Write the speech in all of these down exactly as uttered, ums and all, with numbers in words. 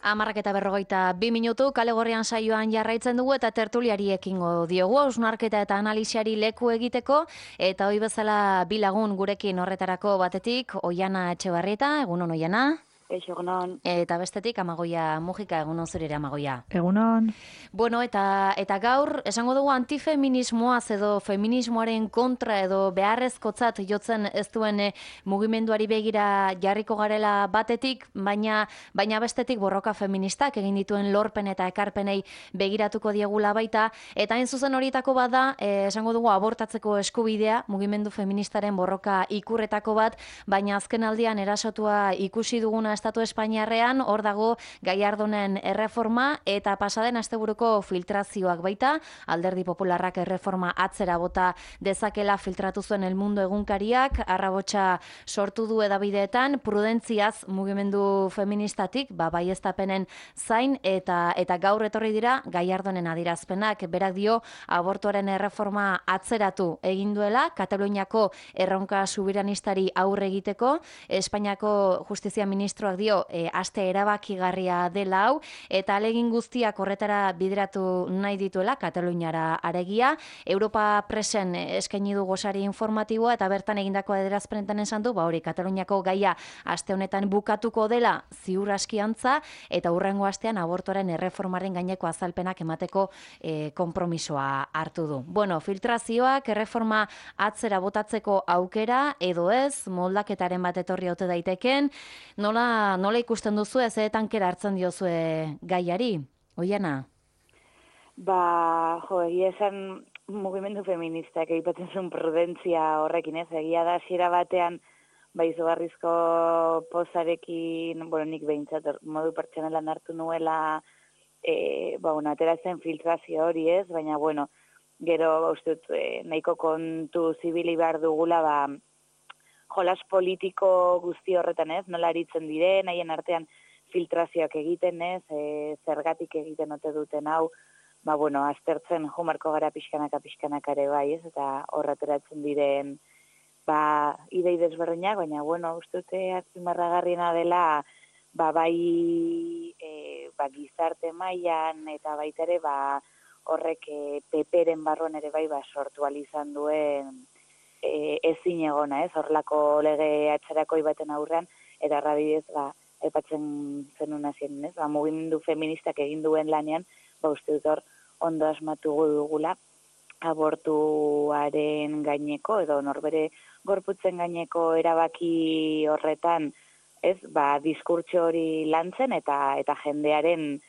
Hamarrak eta berrogeita bi minutu, kale gorrian saioan jarraitzen dugu eta tertuliari ekingo diogu, hausnarketa eta analisiari leku egiteko, eta hoi bezala bi lagun gurekin horretarako batetik, Oiana Etxebarrieta, egunon Oiana. Eixo, egunon. Eta bestetik, Amagoia Mujika, egunon zurire Amagoia. Egunon. Bueno, eta, eta gaur, esango dugu antifeminismoaz edo feminismoaren kontra edo beharrezkotzat jotzen ez duen eh, mugimenduari begira jarriko garela batetik, baina, baina bestetik borroka feministak egin dituen lorpen eta ekarpenei begiratuko diegula baita, eta hain zuzen horietako bat da, eh, esango dugu abortatzeko eskubidea, mugimendu feministaren borroka ikurretako bat, baina azken aldian erasotua ikusi duguna Estatu Espainiarrean, hor dago Gallardonen erreforma eta pasaden asteburuko filtrazioak baita, Alderdi Popularrak erreforma atzera bota dezakela filtratu zuen El Mundo egunkariak, arrabotsa sortu du edabideetan, prudentziaz mugimendu feministatik, ba, baieztapenen zain, eta eta gaur etorri dira Gallardonen adirazpenak, berak dio abortuaren erreforma atzeratu egin duela, Kataluniako erronka subiranistari aurre egiteko, Espainiako Justizia Ministroak dio e, aste erabakigarria dela hau, eta alegin guztiak horretara bideratu nahi dituela Kataluniara aregia. Europa Presen eskaini du gosari informatiboa eta bertan egindako adierazpenetan esan du, ba hori Kataluniako gaia aste honetan bukatuko dela ziur askiantza eta hurrengo astean abortoaren erreformaren gaineko azalpenak emateko e, konpromisoa hartu du. Bueno, filtrazioak erreforma atzera botatzeko aukera edo ez, moldaketaren bat etorri ote daiteken, nola, nola ikusten duzu ez tankera hartzen diozue gaiari? Oiana? Ba, jo, egia esan mugimendu feministak aipatzen zuen prudentzia horrekin, ez? Egia da hasiera batean ba izugarrizko pozarekin, bueno, nik behintzat modu pertsonalan hartu nuela e, ba, bueno, atera zen filtrazio hori, ez? Baina, bueno, gero, uste dut, e, nahiko kontu zibili behar dugula, ba, jolas politiko guzti horretan, ez? Nola aritzen diren, haien artean filtrazioak egiten, ez? E, zergatik egiten ote duten hau, ba, bueno, aztertzen jumarko gara pixkanaka pixkanaka ere bai, ez? Eta horreteratzen diren, ba, idei desberdinak, baina, bueno, uste dute azpimarragarriena dela, ba, bai, e, ba, gizarte mailan eta baita ere, ba, horrek e, peperen barruan ere bai, ba, sortu izan duen e, ezin egona, ez? Horlako lege atzerakoi baten aurrean, eta errabidez, ba, aipatzen zenun hasien, ez? Ba, mugimendu feministak egin duen lanean, ba, uste dut hor, ondo asmatu dugula, abortuaren gaineko, edo norbere gorputzen gaineko erabaki horretan, ez, ba, diskurtso hori lantzen eta eta jendearen,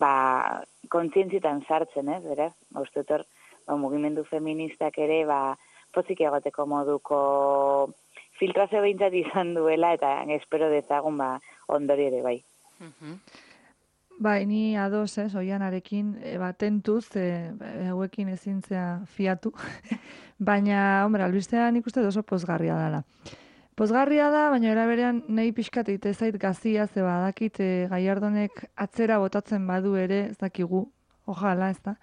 ba, kontzientzitan sartzen, ez, beraz, ba, uste dut hor, ba, mugimendu feministak ere, ba, pozik egoteko moduko filtrazio behintzat izan duela, eta espero dezagun, ba, ondori ere bai. Uh-huh. Bai, ni ados, ez, Oianarekin, e, ba, tentuz, e, hauekin ezintzea fiatu, baina, hombre, albistea nik uste oso pozgarria dela. Pozgarria da, baina eraberean nahi pixkat egite zait gazia, ze badakit e, Gallardonek atzera botatzen badu ere, ez dakigu, ojala, ez da.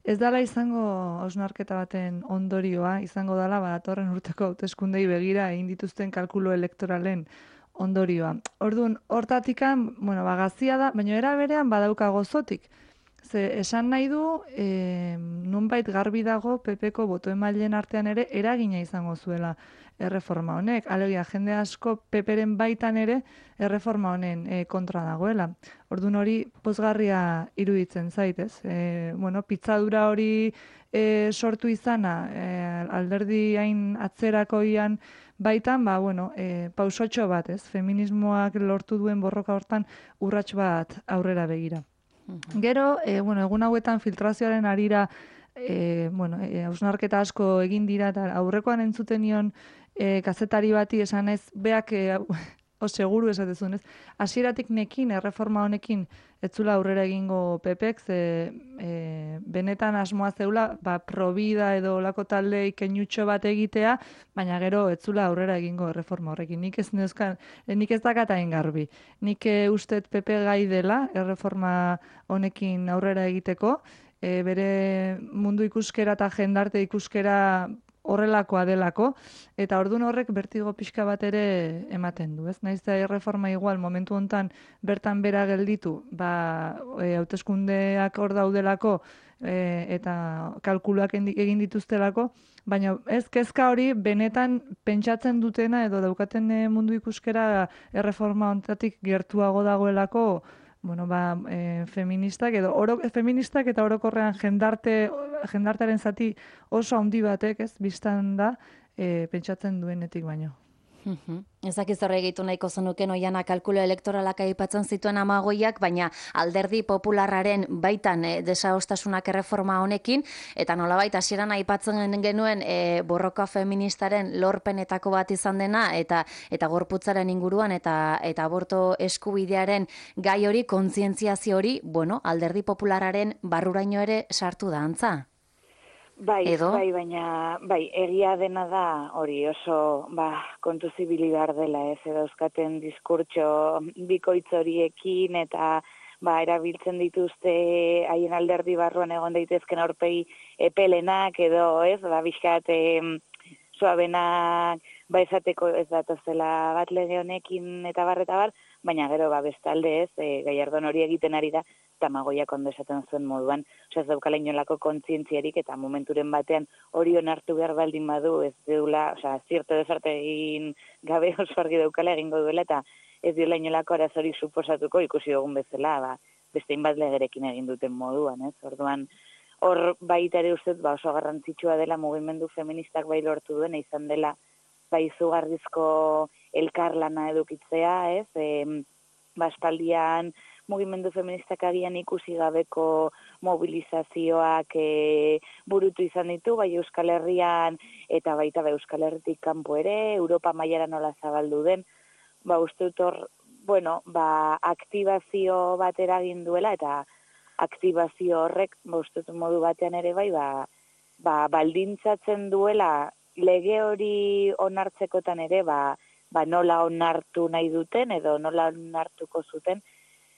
Ez dala izango hausnarketa baten ondorioa, izango dala, badatorren urteko hauteskundei begira egin dituzten kalkulo elektoralen ondorioa. Orduan, hortatikan, bueno, bagazia da, baina era berean badauka gozotik. Ze esan nahi du, e, nunbait garbi dago P P-ko botoemaileen artean ere eragina izango zuela erreforma honek. Alegia, jende asko P P-ren baitan ere erreforma honen e, kontra dagoela. Orduan hori pozgarria iruditzen zaitez. E, bueno, pitzadura hori e, sortu izana, e, alderdi hain atzerakoian baitan, ba, bueno, e, pausotxo bat, ez? Feminismoak lortu duen borroka hortan urrats bat aurrera begira. Uh-huh. Gero, e, bueno, egun hauetan filtrazioaren arira, e, bueno, e, hausnarketa asko egin dira, eta aurrekoan entzuten nion e, kazetari bati esan ez, beak, e, o seguru esatezun, ez? Hasieratik nekin, erreforma honekin, etzula aurrera egingo P P-ek, ze e, benetan asmoa zeula, ba, probida edo olako talde ikenutxo bat egitea, baina gero etzula aurrera egingo erreforma horrekin. Nik ez neuzkan, nik ez dakatain garbi. Nik e, ustet P P gai dela erreforma honekin aurrera egiteko, e, bere mundu ikuskera eta jendarte ikuskera horrelakoa delako, eta ordun horrek bertigo pixka bat ere ematen du, ez? Naiz da erreforma igual momentu hontan bertan bera gelditu, ba, e, hauteskundeak hor daudelako, e, eta kalkuluak egin dituztelako, baina ez kezka hori benetan pentsatzen dutena edo daukaten mundu ikuskera erreforma hontatik gertuago dagoelako, bueno, ba, e, feministak edo oro, feministak eta orokorrean jendarte jendartearen zati oso handi batek, ez, bistan da, e, pentsatzen duenetik baino. Ez dakiz horre egitu nahiko zenuken Oiana kalkulo elektoralak aipatzen zituen Amagoiak, baina alderdi popularraren baitan e, desadostasunak erreforma honekin, eta nolabait hasieran aipatzen genuen e, borroka feministaren lorpenetako bat izan dena, eta eta gorputzaren inguruan, eta eta aborto eskubidearen gai hori, kontzientziazio hori, bueno, alderdi populararen barruraino ere sartu da antza. Bai, Edo? bai, baina, bai, egia dena da hori oso, ba, kontu zibili behar dela, ez, edo euskaten diskurtso bikoitz horiekin, eta, ba, erabiltzen dituzte haien alderdi barruan egon daitezken aurpegi epelenak, edo, ez, ba, bizkat, suabenak, ba, esateko ez datozela bat lege honekin, eta bar, eta bar, baina gero, ba, bestalde ez, e, Gallardón hori egiten ari da, Amagoiak ondo esaten zuen moduan, oza, ez daukala inolako kontzientziarik, eta momenturen batean hori onartu behar baldin badu, ez deula, oza, zirte desarte egin gabe oso argi daukala egingo duela, eta ez diola inolako arazori suposatuko ikusi dugun bezala, ba, beste inbat legerekin egin duten moduan, ez, orduan, hor baita ere ustez, ba, oso garrantzitsua dela mugimendu feministak bai lortu duen, izan dela, bai izugarrizko elkarlana edukitzea, ez, e, ba, espaldian, mugimendu feministak agian ikusi gabeko mobilizazioak e, burutu izan ditu, bai Euskal Herrian eta baita bai Euskal Herritik kanpo ere, Europa mailara nola zabaldu den, ba uste dut hor, bueno, ba aktibazio bat eragin duela, eta aktibazio horrek, ba uste dut modu batean ere bai, ba, ba baldintzatzen duela lege hori onartzekotan ere, ba, ba nola onartu nahi duten edo nola onartuko zuten,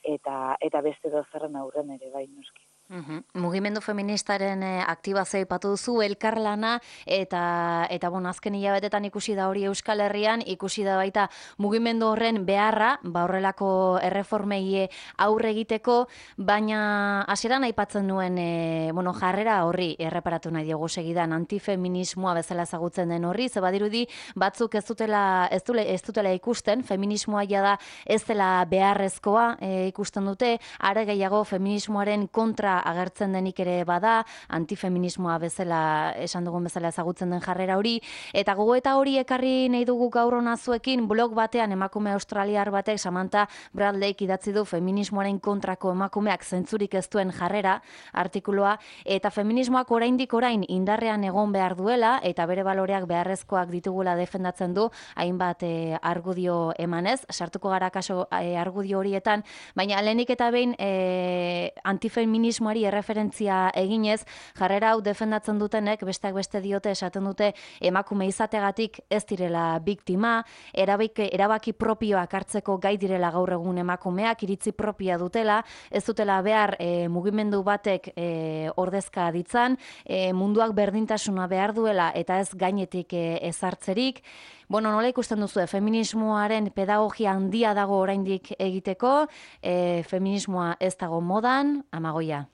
eta eta beste dozerren aurren ere bai noski. Uhum. Mugimendu feministaren eh, aktibazioa aipatu duzu, elkarlana, eta eta bon, azken hilabetetan ikusi da hori Euskal Herrian, ikusi da baita mugimendu horren beharra, ba horrelako erreformei aurre egiteko, baina hasieran aipatzen nuen e, bueno, jarrera horri erreparatu nahi diogu segidan, antifeminismoa bezala ezagutzen den horri, ze badirudi batzuk ez dutela ez, dule, ez dutela ikusten, feminismoa ja da ez dela beharrezkoa e, ikusten dute, are gehiago feminismoaren kontra agertzen denik ere bada, antifeminismoa bezala, esan dugun bezala ezagutzen den jarrera hori, eta gogoeta hori ekarri nahi dugu gaur hona zuekin, blog batean emakume australiar batek, Samantha Bradleyk idatzi du feminismoaren kontrako emakumeak zentzurik ez duen jarrera, artikuloa, eta feminismoak oraindik orain indarrean egon behar duela, eta bere baloreak beharrezkoak ditugula defendatzen du, hainbat e, argudio emanez, sartuko gara kaso e, argudio horietan, baina lehenik eta behin e, antifeminismo erreferentzia eginez, jarrera hau defendatzen dutenek, besteak beste diote esaten dute emakume izategatik ez direla biktima, erabaki, erabaki propioak hartzeko gai direla gaur egun emakumeak, iritzi propioa dutela, ez dutela behar e, mugimendu batek e, ordezka ditzan, e, munduak berdintasuna behar duela eta ez gainetik e, ezartzerik. Bueno, nola ikusten duzu, feminismoaren pedagogia handia dago oraindik egiteko, e, feminismoa ez dago modan, Amagoia?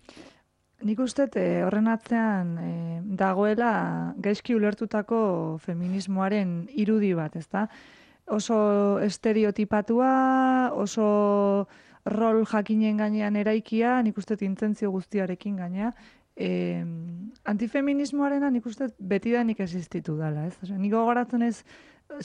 Nik uste e, horren atzean e, dagoela gaizki ulertutako feminismoaren irudi bat, ezta? Oso estereotipatua, oso rol jakinen gainean eraikia, nik uste intentzio guztiarekin gainea, e, antifeminismoarena nik uste betidanik existitu dela, ez? Osea, nik gogoratzen ez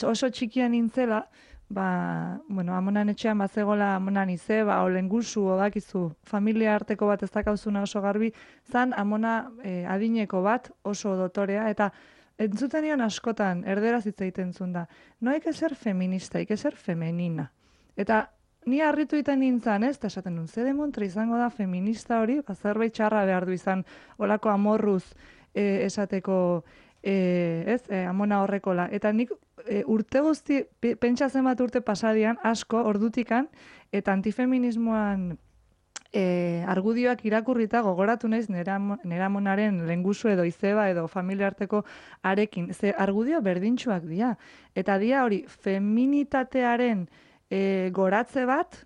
oso txikian nintzela, ba, bueno, amonan etxean bazegola amonan ize, ba, olengusu, odakizu, familia arteko bat ez dakauzuna oso garbi, zan amona e, adineko bat oso dotorea, eta entzuten nion askotan, erderaz hitz egiten zuen da, no hay que ser feminista, hay que ser femenina. Eta ni harritu iten nintzen, ez, eta esaten nun, ze demontre izango da feminista hori, ba, zerbait txarra behar du izan, olako amorruz e, esateko, E, ez, e, amona horrekola. Eta nik e, urte guzti, pentsa zenbat urte pasadian, asko, ordutikan, eta antifeminismoan E, argudioak irakurrita gogoratu naiz neramonaren lengusu edo izeba edo familiarteko arekin. Ze argudio berdintsuak dira. Eta dia hori feminitatearen e, goratze bat,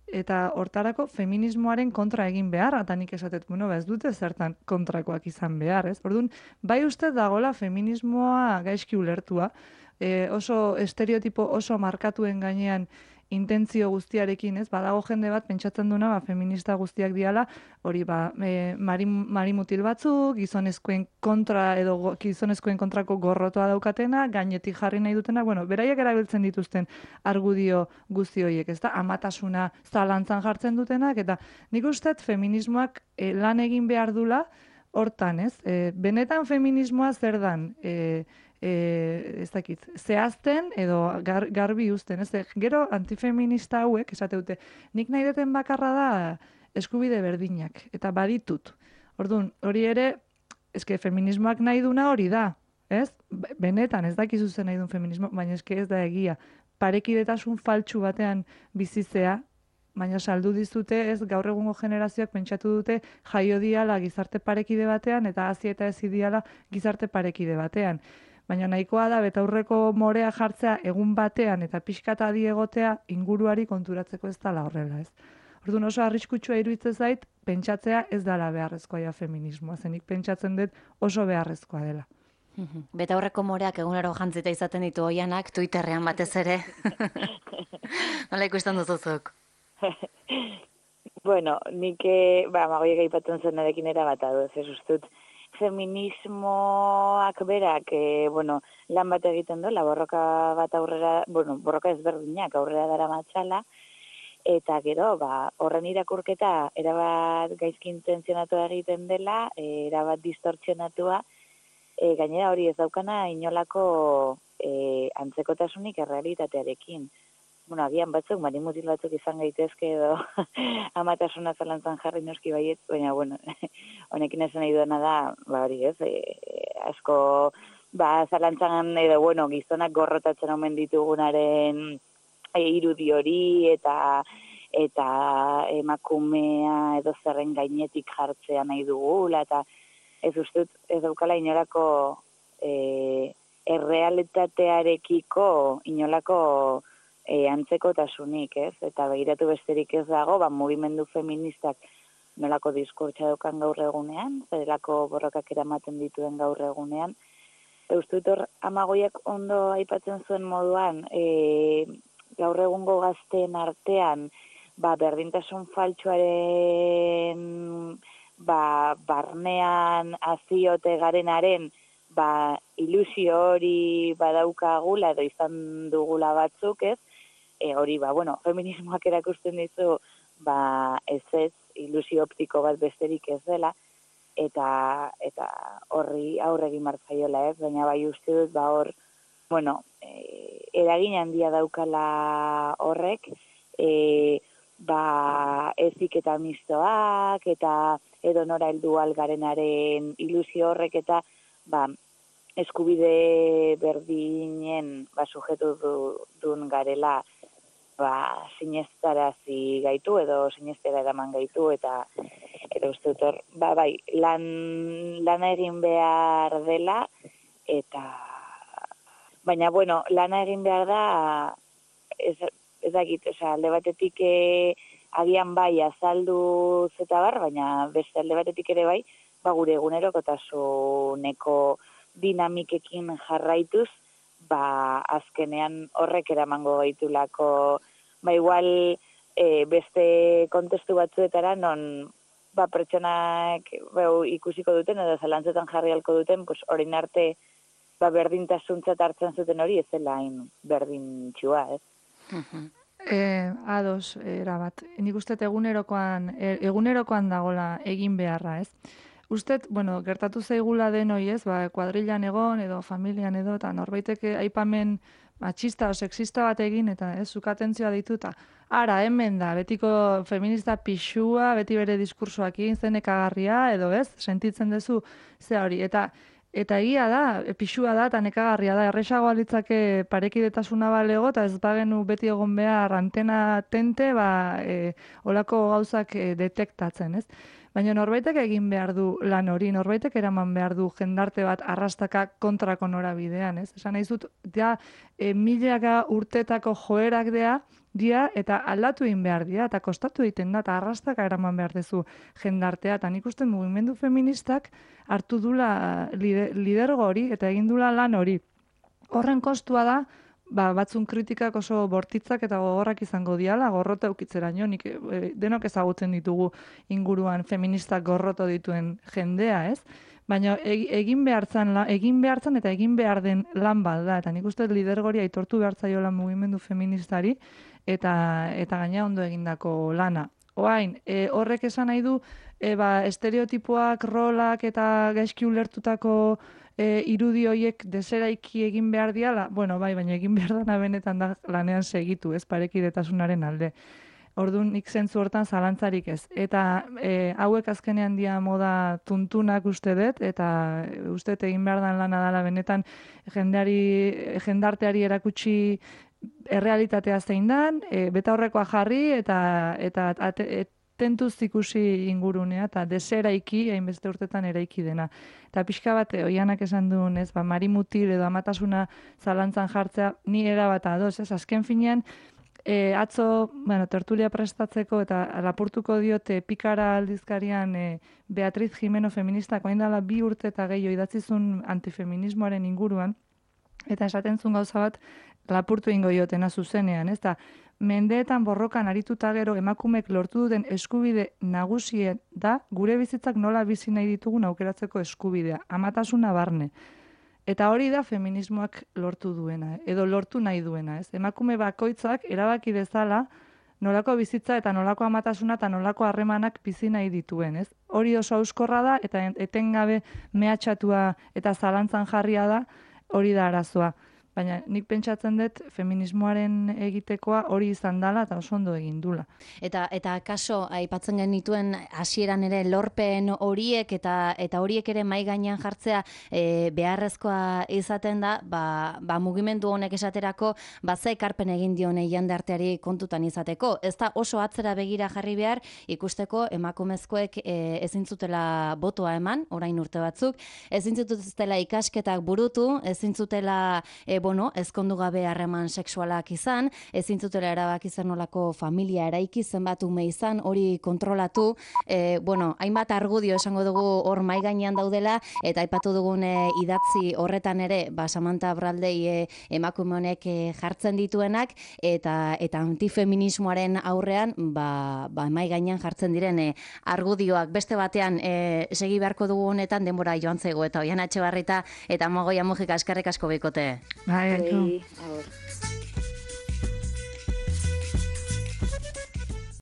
eta hortarako feminismoaren kontra egin behar, eta nik esatet, bueno, ba ez dute zertan kontrakoak izan behar, ez? Orduan, bai uste dagola feminismoa gaizki ulertua, e, oso estereotipo oso markatuen gainean intentzio guztiarekin, ez? Badago jende bat pentsatzen duna, ba, feminista guztiak diala, hori ba, e, mari, mari mutil batzuk, gizonezkoen kontra edo go, gizonezkoen kontrako gorrotoa daukatena, gainetik jarri nahi dutena, bueno, beraiek erabiltzen dituzten argudio guzti horiek, ez da? Amatasuna zalantzan jartzen dutenak, eta nik usteet feminismoak e, lan egin behar dula hortan, ez? E, benetan feminismoa zer dan? E, E, ez dakit, zehazten edo gar, garbi uzten, ez? Gero antifeminista hauek, esate dute, nik nahi deten bakarra da eskubide berdinak, eta baditut. Orduan, hori ere, eske feminismoak nahi duna hori da, ez? Benetan, ez dakizu zen nahi duen feminismo, baina eske ez da egia. Parekidetasun faltsu batean bizizea, baina saldu dizute, ez, gaur egungo generazioak pentsatu dute jaio diala gizarte parekide batean, eta hazi eta ez diala gizarte parekide batean. Baina nahikoa da, betaurreko morea jartzea egun batean eta pixkata egotea inguruari konturatzeko ez dala horrela, ez. Orduan oso arriskutsua iruditzen zait, pentsatzea ez dala beharrezkoa ja feminismoa, zenik pentsatzen dut oso beharrezkoa dela. Betaurreko moreak egunero jantzita izaten ditu oianak, Twitterrean batez ere. Nola ikusten duzuzuk? Bueno, nik, ba, magoiek aipatzen zen erekin erabat adu, ez ustut, feminismoak berak, e, bueno, lan bat egiten dola, borroka bat aurrera, bueno, borroka ezberdinak aurrera dara matxala, eta gero, ba, horren irakurketa erabat gaizki intentzionatu egiten dela, e, erabat distortzionatua, e, gainera hori ez daukana inolako e, antzekotasunik errealitatearekin. Bueno, agian batzuk, mari mutil batzuk izan gaitezke edo amatasuna zalantzan jarri noski baiet, baina, bueno, honekin esan nahi duena da, ba hori ez, e, asko, ba, zalantzan edo, bueno, gizonak gorrotatzen omen ditugunaren e, irudi hori, eta eta emakumea edo zerren gainetik jartzea nahi dugula, eta ez ustut, ez daukala inolako e, errealitatearekiko inolako E, antzekotasunik, ez? Eta begiratu besterik ez dago, ba, mugimendu feministak nolako diskurtsa daukan gaur egunean, zerelako borrokak eramaten dituen gaur egunean. Eustut hor, amagoiak ondo aipatzen zuen moduan, e, gaur egungo gazteen artean, ba, berdintasun faltsuaren, ba, barnean aziote garenaren, ba, ilusio hori badaukagula edo izan dugula batzuk, ez? E, hori, ba, bueno, feminismoak erakusten dizu, ba, ez ez, ilusio optiko bat besterik ez dela, eta eta horri aurre egin martzaiola, ez? Baina bai uste dut, ba, hor, bueno, e, eragin handia daukala horrek, e, ba, ezik eta mistoak, eta edo nora heldu algarenaren ilusio horrek, eta, ba, eskubide berdinen, ba, sujetu du, dun garela, ba, sinestarazi gaitu edo sinestera eraman gaitu, eta eta uste dut hor, ba, bai, lan, lana egin behar dela, eta baina, bueno, lana egin behar da, ez, ez dakit, oza, alde batetik e, agian bai azaldu zeta bar, baina beste alde batetik ere bai, ba, gure egunerokotasuneko dinamikekin jarraituz, ba, azkenean horrek eramango gaitulako, ba, igual e, beste kontestu batzuetara non, ba, pertsonak bau, ikusiko duten edo zalantzetan jarri halko duten, pues, orain arte, ba, berdintasuntzat hartzen zuten hori ez dela hain berdintxua, ez? Uh-huh. E, ados, erabat. Nik uste egunerokoan, egunerokoan dagola egin beharra, ez? Usted, bueno, gertatu zaigula denoi, ez, ba, kuadrilan egon edo familian edo, eta norbaiteke aipamen matxista o sexista bat egin, eta ez, zuk atentzioa dituta. Ara, hemen da, betiko feminista pixua, beti bere diskursoak egin zenekagarria, edo ez, sentitzen duzu, ze hori, eta Eta egia da, pixua da, eta nekagarria da, erresagoa litzake parekidetasuna balego, eta ez bagenu beti egon behar antena tente, ba, e, olako gauzak e, detektatzen, ez? Baina norbaitek egin behar du lan hori, norbaitek eraman behar du jendarte bat arrastaka kontrako norabidean, ez? Esan nahi zut, ja, e, milaka urtetako joerak dea, dia, eta aldatu egin behar dira, eta kostatu egiten da, eta arrastaka eraman behar dezu jendartea, eta nik uste mugimendu feministak hartu dula lidergo hori, eta egin dula lan hori. Horren kostua da, ba, batzun kritikak oso bortitzak eta gogorrak izango diala, gorrota eukitzeraino, nik e, denok ezagutzen ditugu inguruan feministak gorroto dituen jendea, ez? Baina egin behartzan, egin behartzan eta egin behar den lan bat da, eta nik uste lidergori aitortu behartzaiola mugimendu feministari, eta eta gaina ondo egindako lana. Oain, e, horrek esan nahi du, e, ba, estereotipoak, rolak eta gaizki ulertutako e, irudi horiek deseraiki egin behar diala, bueno, bai, baina egin behar dana benetan da lanean segitu, ez parekidetasunaren alde. Orduan, nik zentzu hortan zalantzarik ez. Eta e, hauek azkenean dia moda tuntunak uste dut, eta uste egin behar dan lana dela benetan jendeari, jendarteari erakutsi errealitatea zein dan, e, beta horrekoa jarri, eta, eta ate, tentuz ikusi ingurunea, eta deseraiki, hainbeste urtetan eraiki dena. Eta pixka bat, oianak esan duen, ez, ba, marimutil edo amatasuna zalantzan jartzea, ni erabat adoz, ez, azken finean, E, atzo, bueno, tertulia prestatzeko eta lapurtuko diote Pikara aldizkarian e, Beatriz Jimeno feministak orain dela bi urte eta gehiago idatzizun antifeminismoaren inguruan, eta esaten zuen gauza bat lapurtu ingo diotena zuzenean, ez da, mendeetan borrokan arituta gero emakumek lortu duten eskubide nagusien da, gure bizitzak nola bizi nahi ditugun aukeratzeko eskubidea, amatasuna barne. Eta hori da feminismoak lortu duena, edo lortu nahi duena, ez? Emakume bakoitzak erabaki dezala nolako bizitza eta nolako amatasuna eta nolako harremanak bizi nahi dituen, ez? Hori oso auskorra da eta etengabe mehatxatua eta zalantzan jarria da, hori da arazoa. Baina nik pentsatzen dut feminismoaren egitekoa hori izan dela eta oso ondo egin dula. Eta eta kaso aipatzen genituen hasieran ere lorpen horiek eta eta horiek ere mai gainean jartzea e, beharrezkoa izaten da, ba, ba mugimendu honek esaterako ba ze ekarpen egin dione jendarteari kontutan izateko. Ez da oso atzera begira jarri behar ikusteko emakumezkoek e, ezin zutela botoa eman, orain urte batzuk, ezin zutela ikasketak burutu, ezin zutela e, bueno, ezkondu gabe harreman sexualak izan, ezin zutela erabaki zer nolako familia eraiki, zenbat ume izan, hori kontrolatu, e, bueno, hainbat argudio esango dugu hor mai gainean daudela, eta aipatu dugun e, idatzi horretan ere, ba, Samantha Braldei e, emakume honek e, jartzen dituenak, eta eta antifeminismoaren aurrean, ba, ba, mai gainean jartzen diren e, argudioak beste batean e, segi beharko dugu honetan denbora joan zaigu, eta Oiana Etxebarrieta eta Amagoia Mujika eskerrik asko bikote. Bai, Bai, agur.